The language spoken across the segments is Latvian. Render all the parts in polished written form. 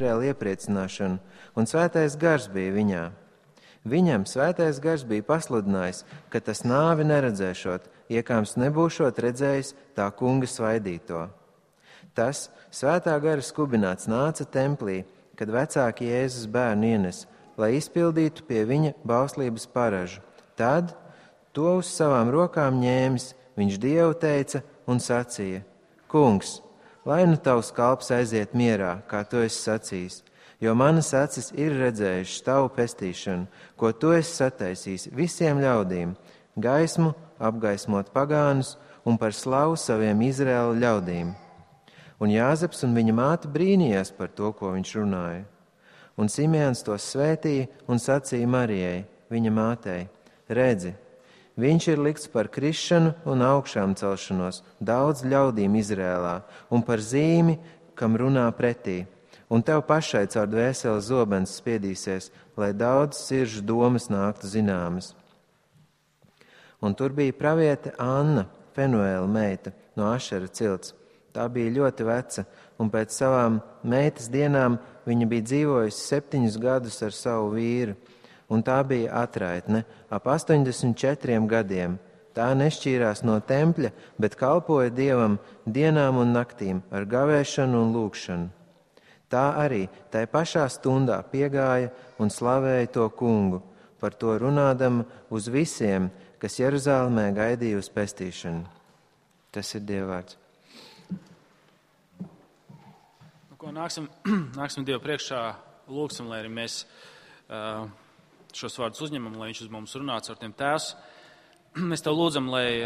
Izraēla iepriecināšanu, un svētais gars bija viņā. Viņam svētais gars bija pasludinājis, ka tas nāvi neredzēšot, iekāms nebūšot redzējis tā kunga svaidīto. Tas svētā gara skubināts nāca templī, kad vecāki Jēzus bērnu ienes, lai izpildītu pie viņa bauslības paražu. Tad to uz savām rokām ņēmis, viņš Dievu teica un sacīja: Kungs, lai nu tavs kalps aiziet mierā, kā tu esi sacījis, jo manas acis ir redzējušas tavu pestīšanu, ko tu esi sataisījis visiem ļaudīm, gaismu apgaismot pagānus un par slavu saviem Izraēla ļaudīm. Un Jāzeps un viņa māte brīnījās par to, ko viņš runāja. Un Simeons tos svētīja un sacīja Marijai, viņa mātei: Redzi, viņš ir likts par krišanu un augšām celšanos daudz ļaudīm Izrēlā un par zīmi, kam runā pretī. Un tev pašai caur dvēseli zobens spiedīsies, lai daudz siržu domas nāktu zināmas. Un tur bija praviete Anna, Fenuēla meita, no Ašera cilts. Tā bija ļoti veca, un pēc savām meitas dienām viņa bija dzīvojusi 7 gadus ar savu vīru, un tā bija atraitne, ap 84 gadiem. Tā nešķīrās no tempļa, bet kalpoja Dievam dienām un naktīm ar gavēšanu un lūgšanu. Tā arī tai pašā stundā piegāja un slavēja to kungu, par to runādama uz visiem, kas Jeruzālēmē gaidīja uz pestīšanu. Tas ir Dieva vārds. Nāksim Dievu priekšā, lūgsim, lai arī mēs šos vārdus uzņemam, lai viņš uz mums runāts ar tiem Tēvs. Mēs Tev lūdzam, lai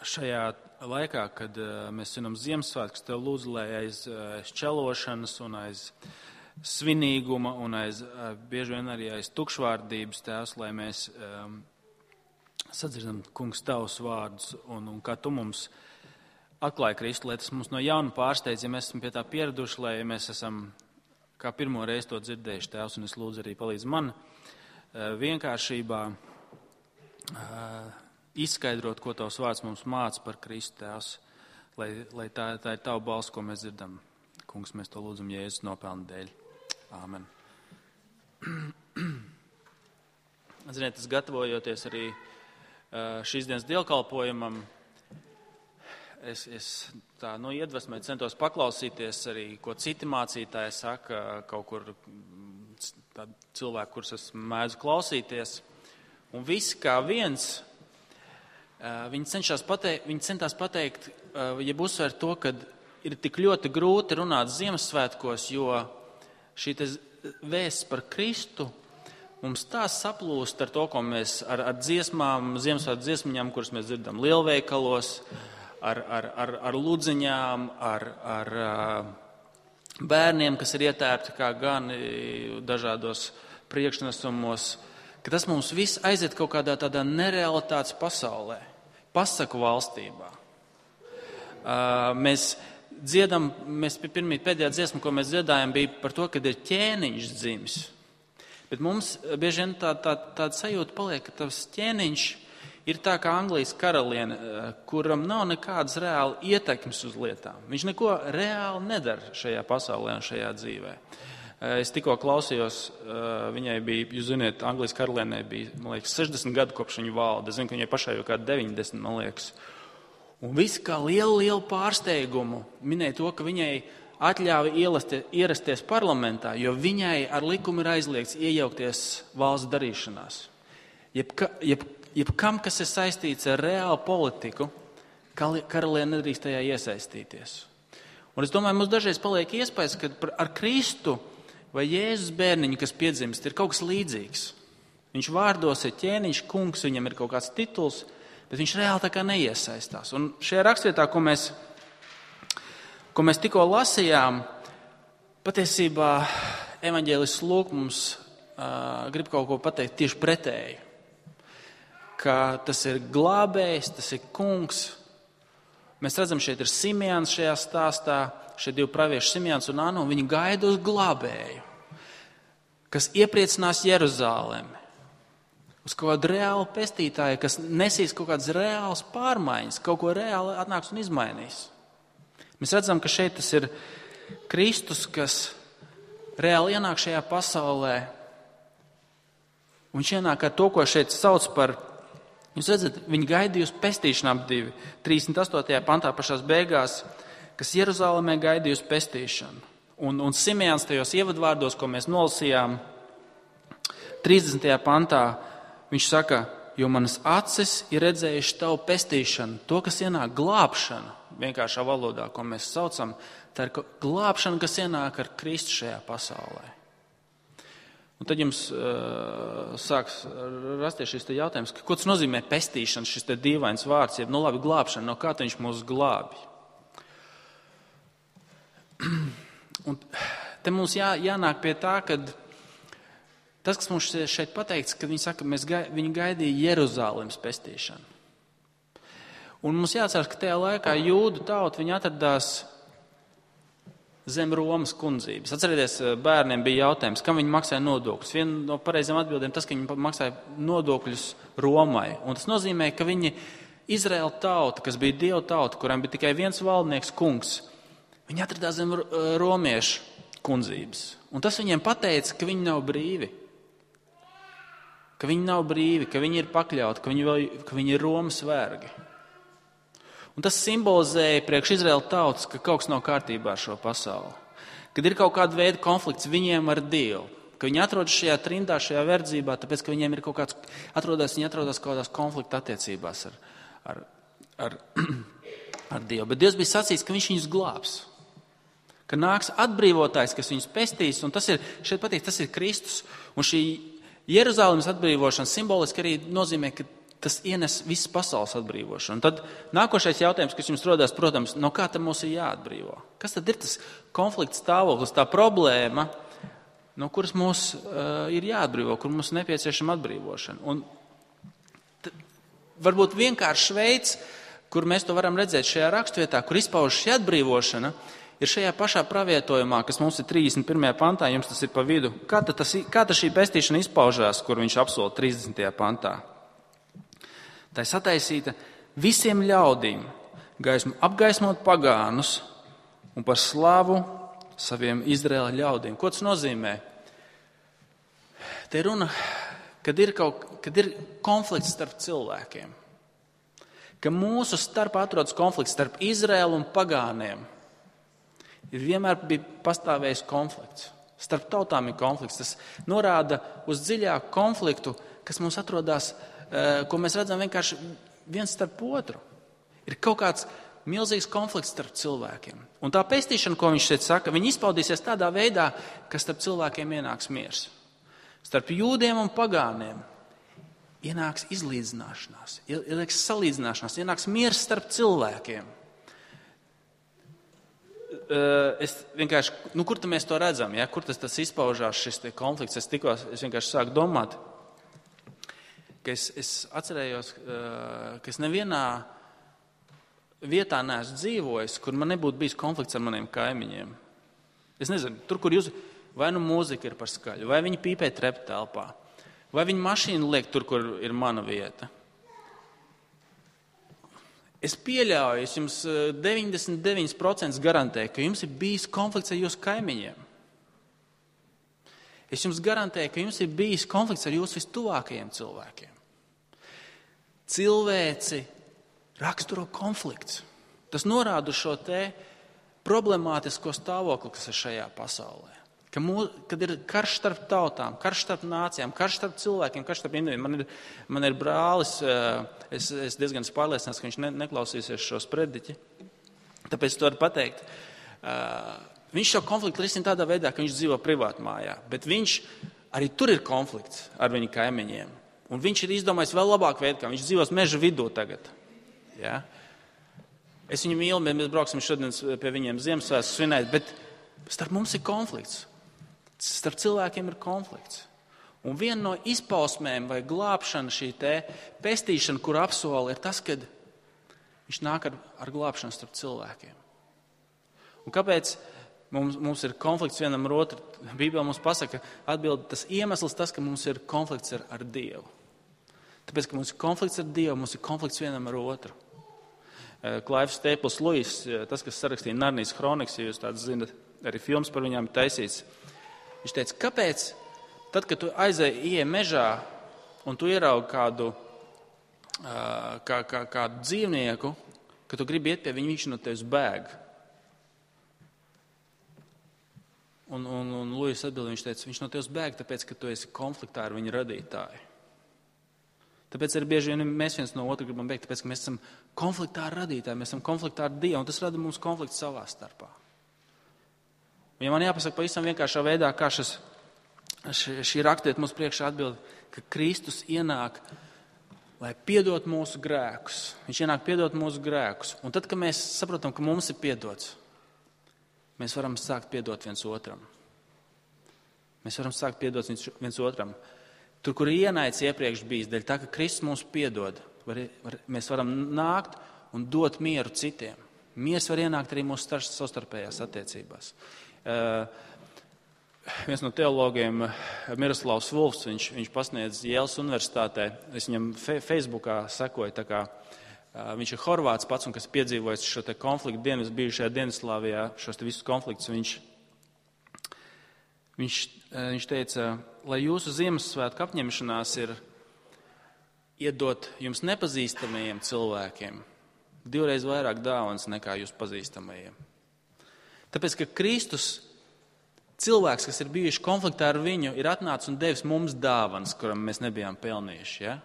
šajā laikā, kad mēs svinam Ziemassvētkus, Tev lūdzu, lai aiz šķelošanas un aiz svinīguma un aiz bieži vien arī aiz tukšvārdības, Tēvs, lai mēs sadzirdam, Kungs, Tavus vārdus un kā Tu mums atklāja Kristu, lai tas mums no jauna pārsteidz, ja mēs esam pie tā pieraduši, lai mēs esam kā pirmo reizi to dzirdējuši, Tēvs, un es lūdzu arī palīdz man vienkāršībā izskaidrot, ko Tavs vārds mums māca par Kristu, Tēvs, lai tā ir Tava balss, ko mēs dzirdam. Kungs, mēs to lūdzam Jēzus nopelna dēļ. Āmen. Ziniet, es gatavojoties arī šīs dienas dievkalpojumam, es tā iedvesmē centos paklausīties arī, ko citi mācītāji saka, kaut kur tādi cilvēki, kurus es mēdzu klausīties. Un visi kā viens, viņi centās pateikt, jeb uzsvērt to, ka ir tik ļoti grūti runāt Ziemassvētkos, jo šī vēsts par Kristu mums tā saplūst ar to, ko mēs ar dziesmām, Ziemassvētku dziesmiņām, kuras mēs dzirdam lielveikalos, ar ludziņām, ar bērniem, kas ir ietērpti kā gan dažādos priekšnesumos, ka tas mums viss aiziet kaut kādā tādā nerealitātes pasaulē, pasaku valstībā. Mēs pēdējā dziesma, ko mēs dziedājam, bija par to, kad ir ķēniņš dzimis. Bet mums bieži vien tāda sajūta paliek, ka tas ķēniņš ir tā kā Anglijas karaliene, kuram nav nekādas reāli ietekmes uz lietām. Viņš neko reāli nedara šajā pasaulē un šajā dzīvē. Es tikko klausījos, viņai bija, jūs ziniet, Anglijas karalienei bija, man liekas, 60 gadu kopš viņa valda. Es zinu, ka viņai pašai jau kā 90, man liekas. Un visi kā lielu pārsteigumu minēja to, ka viņai atļāva ierasties parlamentā, jo viņai ar likumu ir aizliegts iejaukties valsts darīšanās. Jebkam, kas ir saistīts ar reālu politiku, karaliene nedrīkst tajā iesaistīties. Un es domāju, mums dažreiz paliek iespējas, ka ar Kristu vai Jēzus bērniņu, kas piedzimst, ir kaut kas līdzīgs. Viņš vārdos ir ķēniņš, kungs, viņam ir kaut kāds tituls, bet viņš reāli tā kā neiesaistās. Un šajā rakstvietā, ko mēs tikko lasījām, patiesībā evaņģēlists Lūks mums grib kaut ko pateikt tieši pretēju. Ka tas ir glābējs, tas ir kungs. Mēs redzam, šeit ir Simeons šajā stāstā, šie divi pravieši Simeons un Anna, un viņi gaida uz glābēju, kas iepriecinās Jeruzālemi, uz kaut kādu reālu pestītāju, kas nesīs kaut kādas reālas pārmaiņas, kaut ko reāli atnāks un izmainīs. Mēs redzam, ka šeit tas ir Kristus, kas reāli ienāk šajā pasaulē. Un viņš ienāk ar to, ko šeit sauc par, jūs redzat, viņi gaidīja uz pestīšanām 38. pantā pašās beigās, kas Jeruzalemē gaidīja uz pestīšanu. Un Simeons tajos ievadvārdos, ko mēs nolasījām, 30. pantā, viņš saka, jo manas acis ir redzējuši tavu pestīšanu, to, kas ienāk glābšana, vienkāršā valodā, ko mēs saucam, tā ir glābšana, kas ienāk ar Kristu šajā pasaulē. Un tad jums sāks rasties šis jautājums, ko tas nozīmē pestīšana, šis te dīvains vārds, jeb, labi, glābšana, no kā viņš mūs glābi. Un te mums jānāk pie tā, ka tas, kas mums šeit pateikts, ka viņi saka, viņi gaidīja Jeruzālemes pestīšanu. Un mums jāatcerās, ka tajā laikā jūdu tauta, viņi atradās zem Romas kundzības. Atcerieties, bērniem bija jautājums, kam viņi maksāja nodokļus. Viena no pareizām atbildēm tas, ka viņi maksāja nodokļus Romai. Un tas nozīmē, ka viņi, Izraēla tauta, kas bija Dieva tauta, kurām bija tikai viens valdnieks kungs, viņi atradās zem romiešu kundzības. Un tas viņiem pateica, ka viņi nav brīvi. Ka viņi nav brīvi, ka viņi ir pakļauti, ka viņi ir Romas vergi. Un tas simbolizēja priekš Izraēla tautas, ka kaut kas nav kārtībā ar šo pasauli. Kad ir kaut kāda veida konflikts viņiem ar Dievu. Ka viņi atrodas šajā trindā, šajā verdzībā, tāpēc, ka viņiem ir kaut kāds, viņi atrodas kaut kādās konflikta attiecībās ar Dievu. Bet Dievs bija sacījis, ka viņš viņus glābs. Ka nāks atbrīvotājs, kas viņus pestīs, un tas ir, šeit pateikt, tas ir Kristus. Un šī Jeruzālemes atbrīvošana simboliski arī nozīmē, ka tas ienes visas pasaules atbrīvošanu. Un tad nākošais jautājums, kas jums rodās, protams, no kā tad mums ir jāatbrīvo? Kas tad ir tas konflikts stāvoklis, tā problēma, no kuras mums ir jāatbrīvo, kur mums ir nepieciešama atbrīvošana? Un varbūt vienkāršs veids, kur mēs to varam redzēt šajā rakstvietā, kur izpaužas šī atbrīvošana, ir šajā pašā pravietojumā, kas mums ir 31. pantā, jums tas ir pa vidu. Kā tad šī pestīšana izpaužās, kur viņš apsola 30. pantā? Tā ir sataisīta visiem ļaudīm, apgaismot pagānus un par slavu saviem Izraēla ļaudīm. Ko tas nozīmē? Te runa, kad ir konflikts starp cilvēkiem. Ka mūsu starpā atrodas konflikts starp Izraēlu un pagāniem. Ir vienmēr bija pastāvējis konflikts. Starp tautām ir konflikts. Tas norāda uz dziļāku konfliktu, kas mums atrodas, ko mēs redzam vienkārši viens starp otru. Ir kaut kāds milzīgs konflikts starp cilvēkiem. Un tā pestīšana, ko viņš šeit saka, viņi izpaudīsies tādā veidā, ka starp cilvēkiem ienāks miers. Starp jūdiem un pagāniem ienāks izlīdzināšanās, ienāks salīdzināšanās, ienāks miers starp cilvēkiem. Es vienkārši, kur tad mēs to redzam, ja? Kur tas izpaužās šis konflikts? Es vienkārši sāku domāt, ka es atcerējos, ka es nevienā vietā neesmu dzīvojis, kur man nebūtu bijis konflikts ar maniem kaimiņiem. Es nezinu, tur, kur jūs, vai nu mūzika ir par skaļu, vai viņi pīpē trepu telpā, vai viņi mašīnu liek tur, kur ir mana vieta. Es pieļauju, es jums 99% garantēju, ka jums ir bijis konflikts ar jūsu kaimiņiem. Es jums garantēju, ka jums ir bijis konflikts ar jūsu vistuvākajiem cilvēkiem. Cilvēci raksturo konflikts. Tas norāda šo te problemātisko stāvokli, kas ir šajā pasaulē. Kad ir karš starp tautām, karš starp nācijām, karš starp cilvēkiem, karš starp individiem. Man ir brālis, es diezgan pārliecināts, ka viņš neklausīsies šo sprediķi. Tāpēc to varu pateikt. Viņš šo konfliktu risina tādā veidā, ka viņš dzīvo privātmājā, bet arī tur ir konflikts ar viņu kaimiņiem. Un viņš ir izdomājis vēl labāku veidu, kā viņš dzīvos meža vidū tagad. Ja? Es viņu mīlu, mēs brauksim šodien pie viņiem Ziemassvētkus svinēt, bet starp mums ir konflikts. Starp cilvēkiem ir konflikts. Un viena no izpausmēm vai glābšana, šī te pestīšana, kur apsola, ir tas, kad viņš nāk ar glābšanu starp cilvēkiem. Un kāpēc mums ir konflikts vienam ar otru? Bībelē mums pasaka, atbild tas iemesls, tas, ka mums ir konflikts ar Dievu. Tāpēc, ka mums ir konflikts ar Dievu, mums ir konflikts vienam ar otru. Klaivs Stēpls Luis, tas, kas sarakstīja Narnijas kronikas, ja jūs tāds zinat, arī filmas par viņām taisīts. Viņš teica, kāpēc tad, kad tu ieej mežā un tu ieraugi kādu dzīvnieku, kad tu gribi iet pie viņa, viņš no tevis bēg. Un Lūjas atbild, viņš teica, viņš no tevis bēg, tāpēc, ka tu esi konfliktā ar viņa radītāju. Tāpēc arī bieži vien mēs viens no otru gribam bēgt, tāpēc, ka mēs esam konfliktā ar radītāju, mēs esam konfliktā ar Dievu, un tas rada mums konfliktu savā starpā. Un ja man jāpasaka pavisam vienkāršā veidā, kā šī rakstiet mums priekšā atbild, ka Kristus ienāk, lai piedot mūsu grēkus. Viņš ienāk piedot mūsu grēkus. Un tad, kad mēs saprotam, ka mums ir piedots, mēs varam sākt piedot viens otram. Mēs varam sākt piedot viens otram. Tur, kur ienaids iepriekš bijis, dēļ tā, ka Kristus mums piedod, mēs varam nākt un dot mieru citiem. Miers var ienākt arī mūsu savstarpējās attiecībās. Viens no teologiem, Miroslavs Vulfs, viņš pasniedz Jēlas universitātē. Es viņam Facebookā sekoju, tā kā viņš ir horvāts pats, un kas piedzīvojis šo te konfliktu bijušajā Dienvidslāvijā, šos te visus konfliktus. Viņš teica, lai jūsu Ziemassvētku apņemšanās ir iedot jums nepazīstamajiem cilvēkiem 2 reizes vairāk dāvanas nekā jūs pazīstamajiem. Tāpēc, ka Kristus, cilvēks, kas ir bijuši konfliktā ar viņu, ir atnācis un devis mums dāvanas, kuram mēs nebijām pelnījuši. Ja?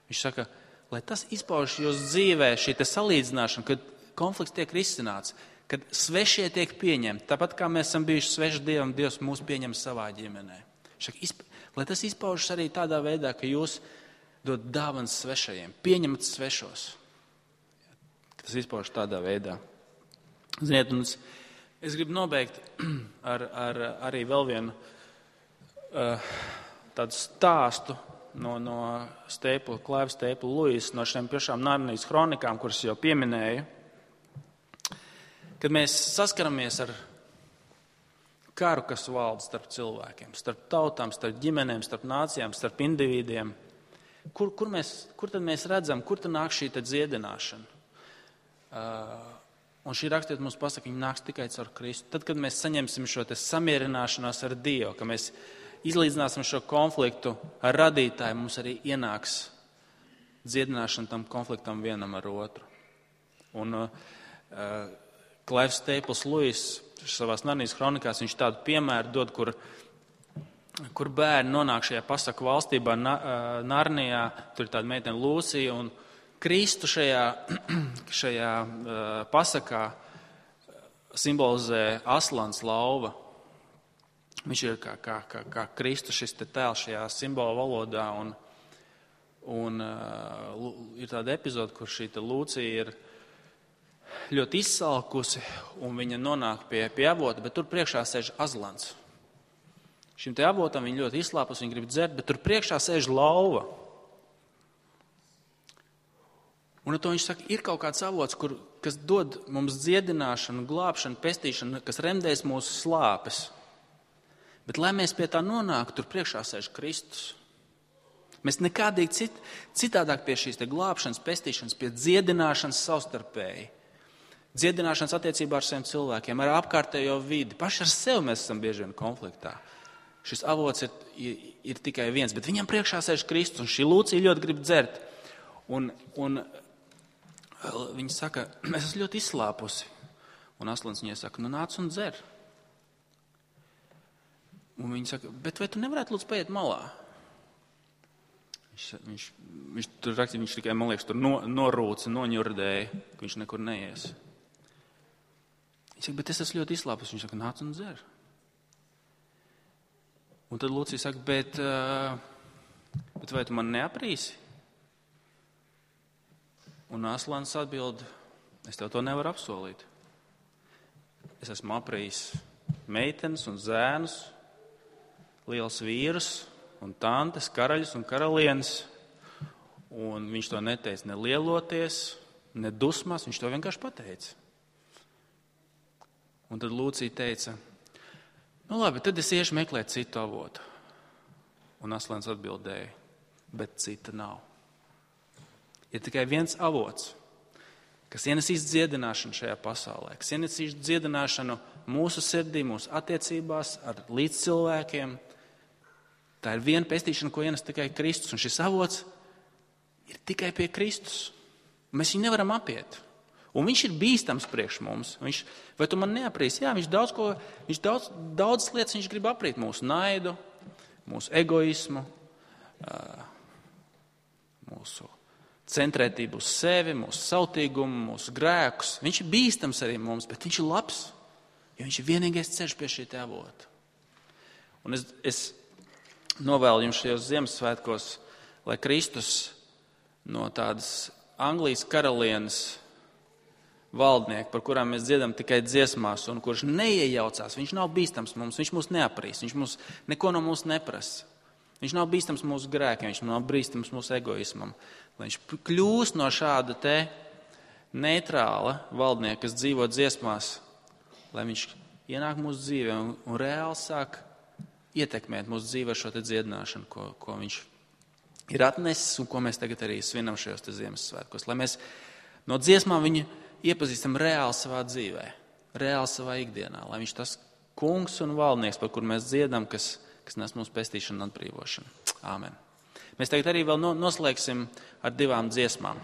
Viņš saka, lai tas izpaužas jūsu dzīvē, šī te salīdzināšana, kad konflikts tiek risināts, kad svešie tiek pieņemti. Tāpat kā mēs esam bijuši sveši Dievam, Dievs mūs pieņem savā ģimenē. Lai tas izpaužas arī tādā veidā, ka jūs dod dāvanas svešajiem, pieņemat svešos. Tas izpaužas tādā veidā. Ziniet, un es gribu nobeigt ar arī vēl vienu tādu stāstu no Klaiva Stēpla Lūjas, no šiem pašām Narnijas kronikām, kuras jau pieminēju. Kad mēs saskaramies ar karu, kas valda starp cilvēkiem, starp tautām, starp ģimenēm, starp nācijām, starp individiem, kur tad mēs redzam, kur tad nāk šī dziedināšana? Un šī rakstiet mums pasaka, viņa nāks tikai caur Kristu. Tad, kad mēs saņemsim šo samierināšanos ar Dievu, ka mēs izlīdzināsim šo konfliktu ar radītāju, mums arī ienāks dziedināšana tam konfliktam vienam ar otru. Un Klaivs Stēpls Lūjas savās Narnijas kronikās, viņš tādu piemēru dod, kur bērni nonāk šajā pasaku valstībā Narnijā, tur ir tāda meitene Lūcija, un Kristu šajā pasakā simbolizē aslans lauva. Viņš ir kā Kristu šis te tēls šajā simbolu valodā, un ir tāda epizode, kur šī te Lūcija ir ļoti izsalkusi, un viņa nonāk pie avota, bet tur priekšā sēž azlans. Šim te avotam viņa ļoti izslāpus, viņa grib dzert, bet tur priekšā sēž lauva. Un ar to viņš saka, ir kaut kāds avots, kas dod mums dziedināšanu, glābšanu, pestīšanu, kas remdēs mūsu slāpes. Bet, lai mēs pie tā nonāktu, tur priekšā sēž Kristus. Mēs nekādīgi citādāk pie šīs te glābšanas, pestīšanas, pie dziedināšanas savstarpēji. Dziedināšanas attiecībā ar saviem cilvēkiem, ar apkārtējo vidi. Paši ar sevi mēs esam bieži vien konfliktā. Šis avots ir tikai viens, bet viņam priekšā sēž Kristus, un šī Lūcija ļoti grib dzert. Un viņa saka, es esmu ļoti izslāpusi. Un aslans viņai saka, nāc un dzer. Un viņa saka, bet vai tu nevarētu lūdzu paiet malā? Viņš tur rakstīja, viņš tikai, man liekas, tur norūca, noņurdēja, ka viņš nekur neies. Viņš saka, bet es esmu ļoti izslāpus. Viņš saka, nāc un dzer. Un tad Lūcija saka, bet vai tu man neaprīsi? Un aslans atbild, es tev to nevaru apsolīt. Es esmu aprījis meitenes un zēnus, liels vīrus un tantes, karaļus un karalienes. Un viņš to neteica ne lieloties, ne dusmās, viņš to vienkārši pateica. Un tad Lūcija teica, nu labi, tad es iešu meklēt citu avotu. Un aslans atbildēja, bet cita nav. Ir tikai viens avots, kas ienesīs dziedināšanu šajā pasaulē, kas ienesīs dziedināšanu mūsu sirdī, mūsu attiecībās ar līdzcilvēkiem. Tā ir viena pestīšana, ko ienes tikai Kristus, un šis avots ir tikai pie Kristus. Mēs viņu nevaram apiet. Un viņš ir bīstams priekš mums. Vai tu man neaprīsi? Jā, viņš daudz lietas viņš grib aprīt. Mūsu naidu, mūsu egoismu, mūsu centrētību uz sevi, mūsu sautīgumu, mūsu grēkus. Viņš ir bīstams arī mums, bet viņš ir labs, jo viņš ir vienīgais ceļš pie šī avota. Un es novēlu jums šajos Ziemassvētkos, lai Kristus no tādas Anglijas karalienes valdnieki, par kurām mēs dziedam tikai dziesmās, un kurš neiejaucās, viņš nav bīstams mums, viņš mūs neaprīs, viņš neko no mums neprasa. Viņš nav bīstams mūsu grēkiem, viņš nav bīstams mūsu egoismam. Lai viņš kļūst no šāda te neitrāla valdnieka, kas dzīvo dziesmās, lai viņš ienāk mūsu dzīvē un reāli sāk ietekmēt mūsu dzīvē šo te dziedināšanu, ko viņš ir atnesis un ko mēs tagad arī svinam šajos te Ziemassvētkos. Lai mēs no dziesmām viņu iepazīstam reāli savā dzīvē, reāli savā ikdienā, lai viņš tas kungs un valdnieks, par kur mēs dziedam, kas nes mūsu pestīšanu un atbrīvošanu. Āmen. Mēs tagad arī vēl noslēgsim ar 2 dziesmām.